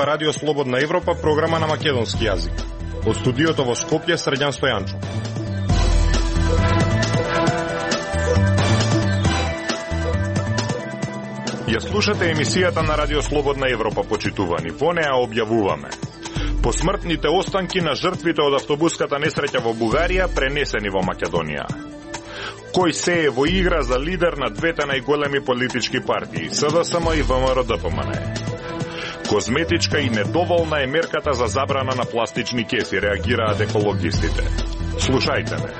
ова Радио Слободна Европа, програма на македонски јазик. Од студиото во Скопје, Срđan Стојанчо. Ја слушате емисијата на Радио Слободна Европа, почитувани. Во неа објавуваме посмртните останки на жртвите од автобуската несреќа во Бугарија пренесени во Македонија. Кој се е во игра за лидер на двете најголеми политички партии, СДСМ и ВМРО-ДПМН. Козметичка и недоволна е мерката за забрана на пластични кеси, реагираат екологистите. Слушајте ме.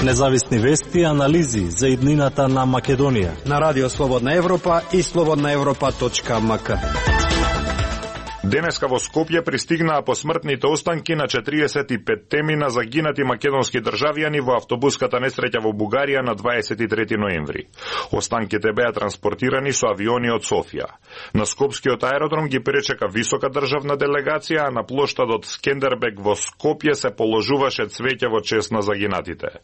Независни вести и анализи за иднината на Македонија на Радио Слободна Европа и slobodnaevropa.mk. Денеска во Скопје пристигнаа посмртните останки на 45 на загинати македонски државјани во автобуската несреќа во Бугарија на 23 ноември. Останките беа транспортирани со авиони од Софија. На Скопскиот аеродром ги пречека висока државна делегација, а на плоштадот Скендербег во Скопје се положуваше цвеќе во чест на загинатите.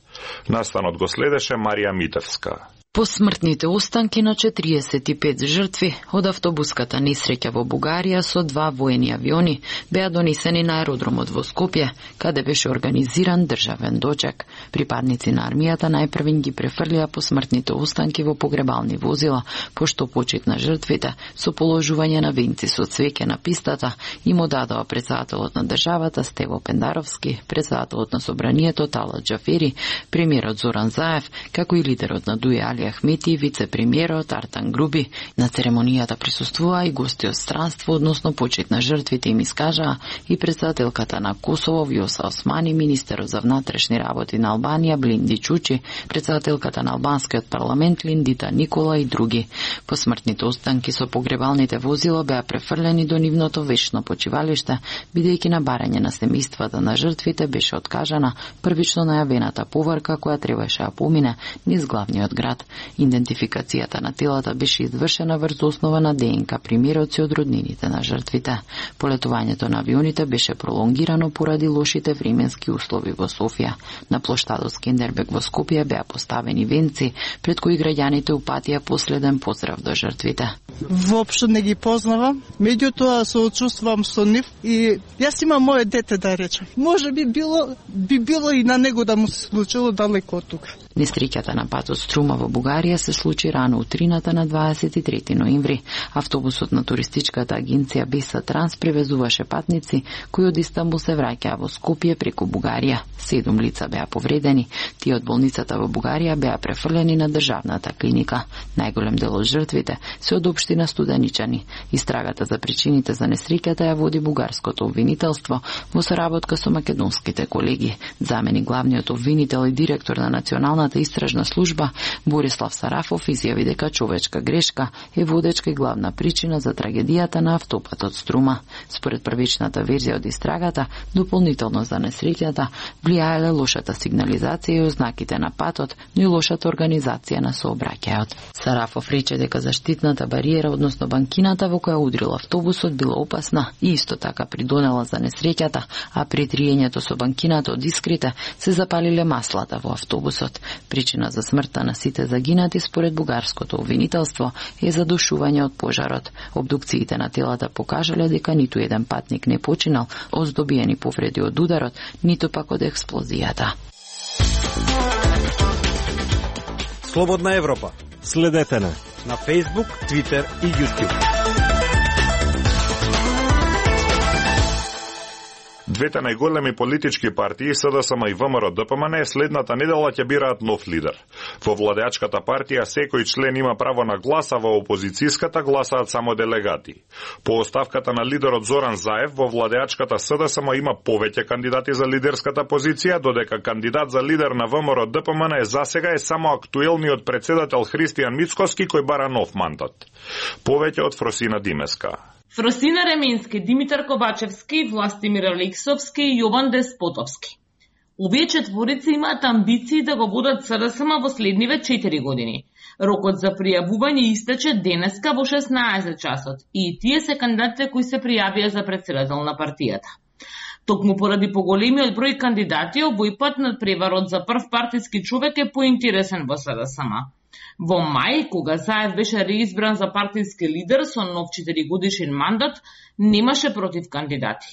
Настанот го следеше Марија Митевска. Посмртните останки на 45 жртви од автобуската несреќа во Бугарија со 2 воени авиони беа донесени на аеродромот во Скопје, каде беше организиран државен дочек. Припадници на армијата најпрвин ги префрлија посмртните останки во погребални возила, пошто почит на жртвите со положување на венци со цвеќе на пистата им одадоа председателот на државата Стево Пендаровски, председателот на собранието Талат Џафери, премиерот Зоран Заев, како и лидерот на ДУИ Али Ахмети и вице-премиерот Артан Груби. На церемонијата присуствуваа и гости од странство, односно почит на жртвите им искажаа и председателката на Косово Вјоса Османи, министерот за внатрешни работи на Албанија Блинди Чучи, председателката на албанскиот парламент Линдита Никола и други. Посмртните останки со погребалните возила беа префрлени до нивното вечно почивалиште, бидејќи на барање на семејствата на жртвите беше откажана првично најавената поварка која требаше да помине низ главниот град. Идентификацијата на телата беше извршена врз основа на ДНК примероци од роднините на жртвите. Полетувањето на авионите беше пролонгирано поради лошите временски услови во Софија. На плоштадот Скендербег во Скопје беа поставени венци, пред кои граѓаните упатија последен поздрав до жртвите. Воопшто не ги познавам, меѓутоа се очувствувам со нив и јас имам моје дете, да речем. Може би било и на него да му се случило далеко од тука. Несреќата на патот Струма во Бугарија се случи рано утрината на 23 ноември. Автобусот на туристичката агенција Биса Транс превезуваше патници кои од Истанбул се враќаа во Скопје преку Бугарија. 7 лица беа повредени. Тие од болницата во Бугарија беа префрлени на државната клиника. Најголем дел од жртвите се од општина Студеничани. Истрагата за причините за несреќата ја води бугарското обвинителство во соработка со македонските колеги. Замени главниот обвинител и директор на Националната истражна служба Борислав Сарафов изјави дека човечка грешка е водечка и главна причина за трагедијата на автопатот Струма. Според првичната верзија од истрагата, дополнително за несреќата влијаеле лошата сигнализација и ознаките на патот, но и лошата организација на сообраќајот. Сарафов рече дека заштитната бариера, односно банкината во која удрил автобусот, била опасна и исто така придонела за несреќата, а при триењето со банкината од искрите се запалиле маслата во автобусот. Причина за смртта на сите загинати според бугарското обвинителство е задушување од пожарот. Обдукциите на телата покажале дека ниту еден патник не починал од здобиени повреди од ударот, ниту пак од експлозијата. Слободна Европа. Следете на Facebook, Twitter и YouTube. Двете најголеми политички партии, СДСМ и ВМРО-ДПМН, следната недела ќе бираат нов лидер. Во владеачката партија секој член има право на глас, а во опозицијската гласаат само делегати. По оставката на лидерот Зоран Заев, во владеачката СДСМ има повеќе кандидати за лидерската позиција, додека кандидат за лидер на ВМРО-ДПМН засега е само актуелниот председател Христијан Мицкоски, кој бара нов мандат. Повеќе од Фросина Димеска. Фросина Ременски, Димитар Ковачевски, Властимир Алексовски и Јован Деспотовски. Овие четворици имаат амбиции да го водат СДСМ во следниве 4 години. Рокот за пријавување истече денеска во 16 часот и тие се кандидатите кои се пријавија за председател на партијата. Токму поради поголемиот број кандидати, овој пат надпреварот за прв партиски човек е поинтересен во СДСМ. Во мај, кога Заев беше реизбран за партиски лидер со нов 4-годишен мандат, немаше против кандидати.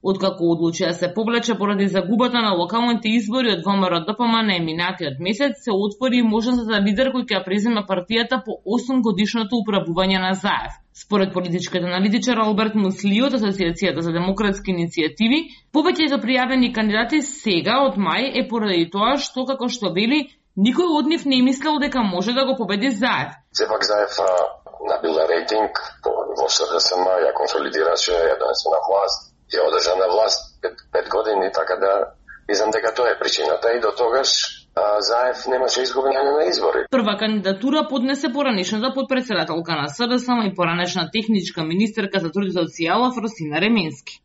Откако одлучи да се повлече поради загубата на локалните избори од ВМРО-ДПМН минатиот месец, се отвори можност за лидер кој ќе преземе партијата по 8-годишното управување на Заев. Според политичкиот аналитичар Алберт Мусли од Асоциацијата за демократски иницијативи, повеќето пријавени кандидати сега од мај е поради тоа што, како што вели, никој од нив не мислел дека може да го победи Заев. Сепак Заев набила рейтинг во СДСМ, ја консолидираше, ја донесе на власт, ја одржа на власт 5 години, така да мислам дека тоа е причината и до тогаш Заев немаше изгубење на избори. Прва кандидатура поднесе поранешната подпредседателка на СДСМ и поранешна техничка министерка за труд и социјала Фросина Ременски.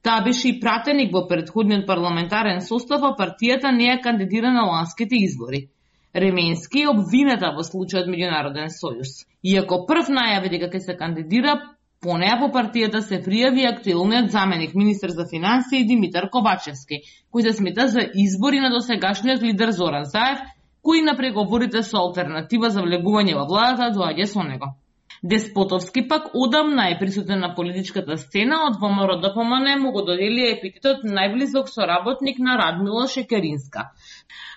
Таа беше и пратеник во претходниот парламентарен состав, а партијата не ја кандидира на ланските избори. Ременски е обвината во случајот Меѓународен сојуз. Иако прв најави дека ќе се кандидира, по неа по партијата се пријави актуелниот заменик министер за финансии Димитар Ковачевски, кој се смета за избори на досегашниот лидер Зоран Заев, кој на преговорите со алтернатива за влегување во владата доаѓа со него. Деспотовски пак одамна е присутен на политичката сцена, од ВМРО-ДПМН му го додели епитетот најблизок соработник на Радмила Шекеринска.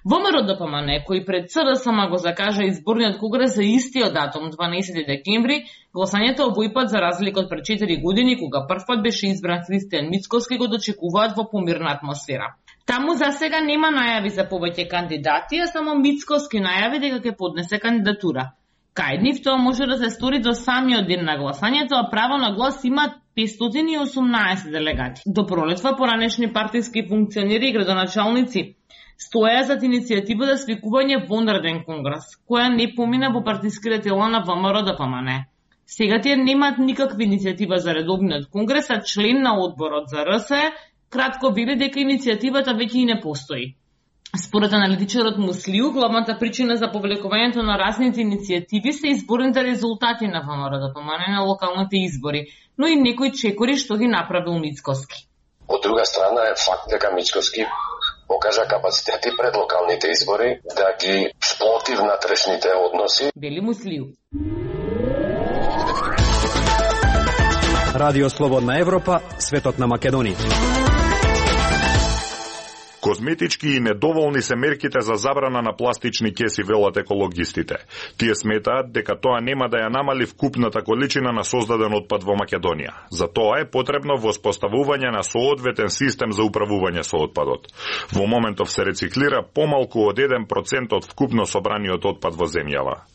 ВМРО-ДПМН, кој пред СДСМ го закажа изборниот конгрес за истиот датум, 12 декември, гласањето овој пат за разлика од пред 4 години, кога првпат беше избран Христијан Мицкоски, го дочекуваат во помирна атмосфера. Таму за сега нема најави за повеќе кандидати, а само Мицкоски најави дека ќе поднесе кандидатура. Кај нив тоа може да се стори до самиот ден на гласањето, а право на глас имаат 518 делегати. До пролетва поранешни партиски функционери и градоначалници стоја зад иницијатива за свикување вонреден конгрес, која не помина во партиските тела на ВМРО-ДПМН. Сега тие немаат никаква иницијатива за редовниот конгрес, а член на одборот за РСЕ кратко вели дека иницијативата веќе и не постои. Според аналитичарот Муслиу, главната причина за повлекувањето на разните иницијативи се изборните резултати на ВМРО-ДПМН на локалните избори, но и некои чекори што ги направил Мицкоски. Од друга страна е факт дека Мицкоски покажа капацитети пред локалните избори да ги сплоти внатрешните односи. Вели Муслиу. Радио Слободна Европа, светот на Македонија. Козметички и недоволни се мерките за забрана на пластични кеси, велат екологистите. Тие сметаат дека тоа нема да ја намали вкупната количина на создаден отпад во Македонија. За тоа е потребно воспоставување на соодветен систем за управување со отпадот. Во моментов се рециклира помалку од 1% од вкупно собраниот отпад во земјава.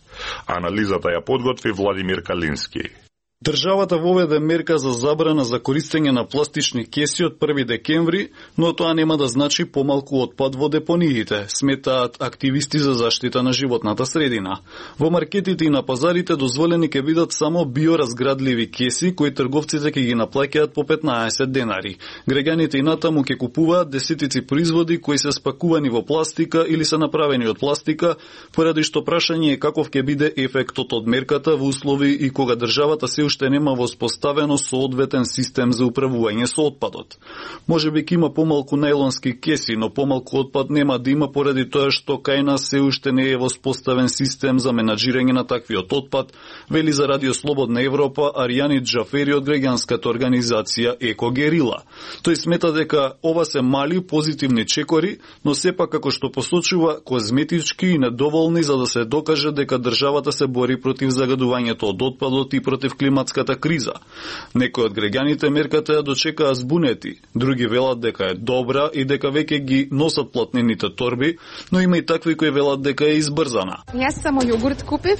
Анализата ја подготви Владимир Калински. Државата воведе мерка за забрана за користење на пластични кеси од 1 декември, но тоа нема да значи помалку отпад во депониите, сметаат активисти за заштита на животната средина. Во маркетите и на пазарите дозволени ќе бидат само биоразградливи кеси кои трговците ќе ги наплаќаат по 15 денари. Граѓаните и натаму ќе купуваат десетици производи кои се спакувани во пластика или се направени од пластика, поради што прашање е каков ќе биде ефектот од мерката во услови и кога државата се уште нема воспоставено соодветен систем за управување со отпадот. Може би ќе има помалку најлонски кеси, но помалку отпад нема да има поради тоа што кај нас се уште не е воспоставен систем за менаџирање на таквиот отпад, вели за Радио Слободна Европа Аријани Џафери од граѓанската организација Еко Герила. Тој смета дека ова се мали позитивни чекори, но сепак како што посочува козметички и недоволни за да се докаже дека државата се бори против загадувањето од отпадот и против климатската криза. Некои од граѓаните мерката ја дочекаа збунети, други велат дека е добра и дека веќе ги носат платнените торби, но има и такви кои велат дека е избрзана. Јас само јогурт купив,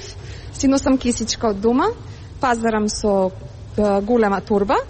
си носам кисичка од дома, пазарам со голема торба.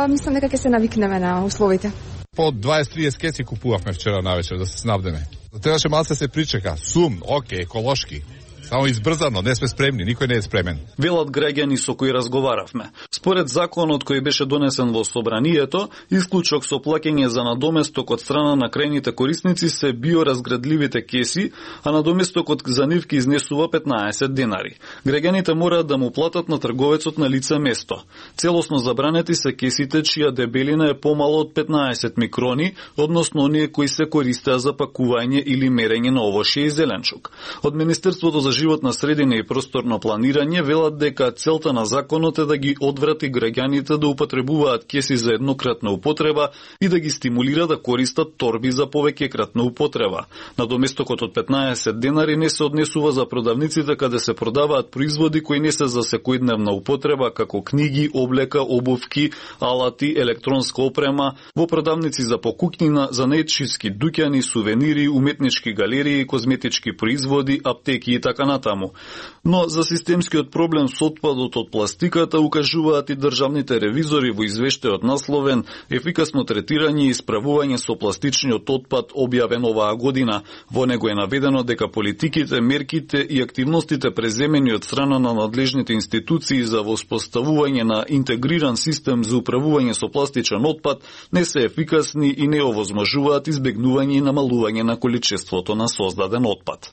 Мислам дека ќе се навикнеме на условите. По 20-30 кеси купувавме вчера навечер да се снабдеме. Требаше малце се причека. Сум, оке, еколошки. Само избрзано, не сме спремни, никој не е спремен. Велат граѓани со кои разговаравме. Според законот кој беше донесен во собранието, исклучок со плаќање за надоместок од страна на крајните корисници се биоразградливите кеси, а надоместокот за нив ки изнесува 15 денари. Граѓаните мораат да му платат на трговецот на лице место. Целосно забранети се кесите чија дебелина е помало од 15 микрони, односно оние кои се користеа за пакување или мерење на овошје и зеленчук. Од Министерството за животна средина и просторно планирање велат дека целта на законот е да ги одврати граѓаните да употребуваат кеси за еднократна употреба и да ги стимулира да користат торби за повеќекратна употреба. Надоместокот од 15 денари не се однесува за продавниците каде се продаваат производи кои не се за секојдневна употреба, како книги, облека, обувки, алати, електронска опрема, во продавници за покукнина, занаетчиски дуќани, сувенири, уметнички галерии, козметички производи, аптеки и така натаму. Но за системскиот проблем со отпадот од пластиката укажуваат и државните ревизори во извештајот насловен "Ефикасно третирање и исправување со пластичниот отпад" објавен оваа година. Во него е наведено дека политиките, мерките и активностите преземени од страна на надлежните институции за воспоставување на интегриран систем за управување со пластичен отпад не се ефикасни и не овозможуваат избегнување и намалување на количеството на создаден отпад.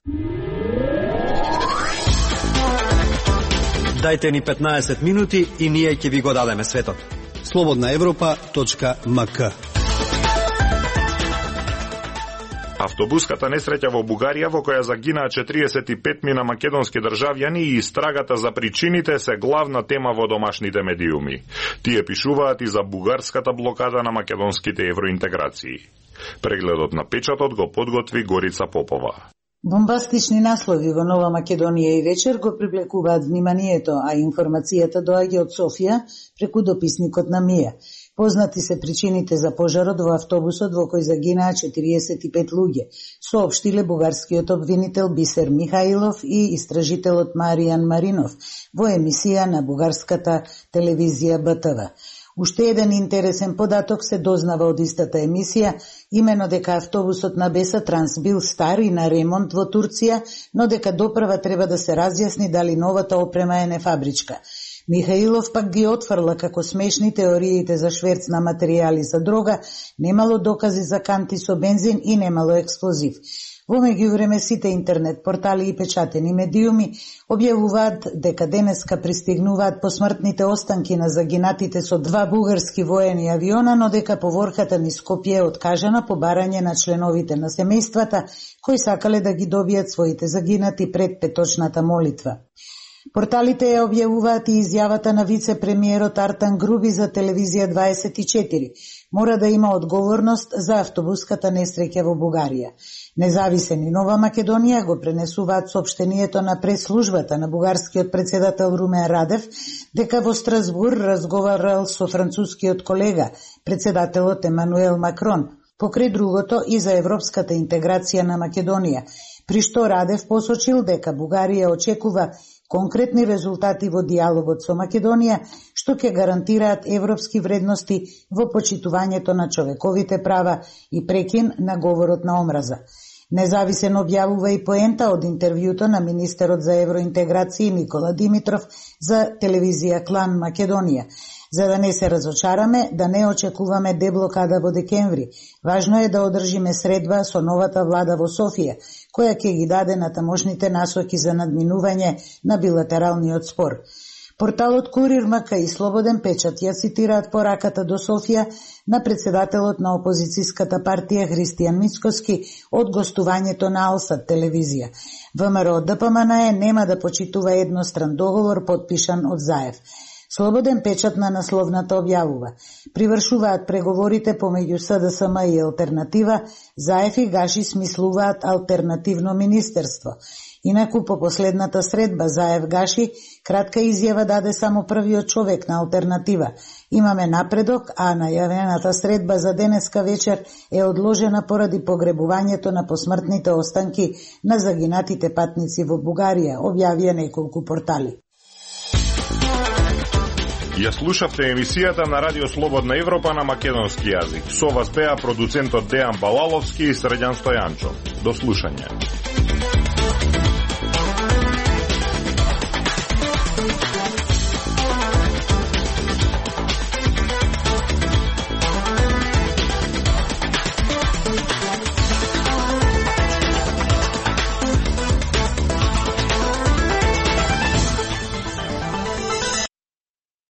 Дајте ни 15 минути и ние ќе ви го дадеме светот. slobodnaevropa.mk. Автобуската несреќа во Бугарија во која загинаа 45 мина македонски државјани и истрагата за причините се главна тема во домашните медиуми. Тие пишуваат и за бугарската блокада на македонските евроинтеграции. Прегледот на печатот го подготви Горица Попова. Бомбастични наслови во Нова Македонија и вечер го привлекуваат вниманието, а информацијата доаѓа од Софија преку дописникот на Мија. Познати се причините за пожарот во автобусот во кој загинаа 45 луѓе, соопштиле бугарскиот обвинител Бисер Михаилов и истражителот Маријан Маринов во емисија на бугарската телевизија БТВ. Уште еден интересен податок се дознава од истата емисија, имено дека автобусот на Беса Транс бил стар и на ремонт во Турција, но дека допрва треба да се разјасни дали новата опрема е нефабричка. Михаилов пак ги отфрла како смешни теориите за шверц на материјали за дрога, немало докази за канти со бензин и немало експлозив. Во меѓувреме сите интернет портали и печатени медиуми објавуваат дека денеска пристигнуваат посмртните останки на загинатите со 2 бугарски воени авиона, но дека поворката низ Скопје е откажана по барање на членовите на семејствата кои сакале да ги добијат своите загинати пред петочната молитва. Порталите ја објавуваат и изјавата на вице-премиерот Артан Груби за телевизија 24. Мора да има одговорност за автобуската несреќа во Бугарија. Независен и Нова Македонија го пренесуваат соопштението на прес-службата на бугарскиот председател Румен Радев дека во Страсбур разговарал со францускиот колега, председателот Емануел Макрон, покрај другото и за европската интеграција на Македонија, при што Радев посочил дека Бугарија очекува конкретни резултати во диалогот со Македонија, што ќе гарантираат европски вредности во почитувањето на човековите права и прекин на говорот на омраза. Независен објавува и поента од интервјуто на министерот за евроинтеграција Никола Димитров за телевизија Клан Македонија. За да не се разочараме, да не очекуваме деблокада во декември, важно е да одржиме средба со новата влада во Софија, која ќе ги даде на тамошните насоки за надминување на билатералниот спор. Порталот Курир МК и Слободен печат ја цитираат пораката до Софија на председателот на опозицијската партија Христијан Мицкоски од гостувањето на Алсат телевизија. ВМРО ДПМН нема да почитува едностран договор подпишан од Заев. Слободен печат на насловната објавува. Привршуваат преговорите помеѓу СДСМ и Алтернатива, Заев и Гаши смислуваат алтернативно министерство. Инаку по последната средба Заев-Гаши кратка изјава даде само првиот човек на Алтернатива. Имаме напредок, а најавената средба за денеска вечер е одложена поради погребувањето на посмртните останки на загинатите патници во Бугарија, објавија неколку портали. Ја слушавте емисијата на Радио Слободна Европа на македонски јазик. Со вас беа продуцентот Дејан Балаловски и Средјан Стојанчо. До слушање.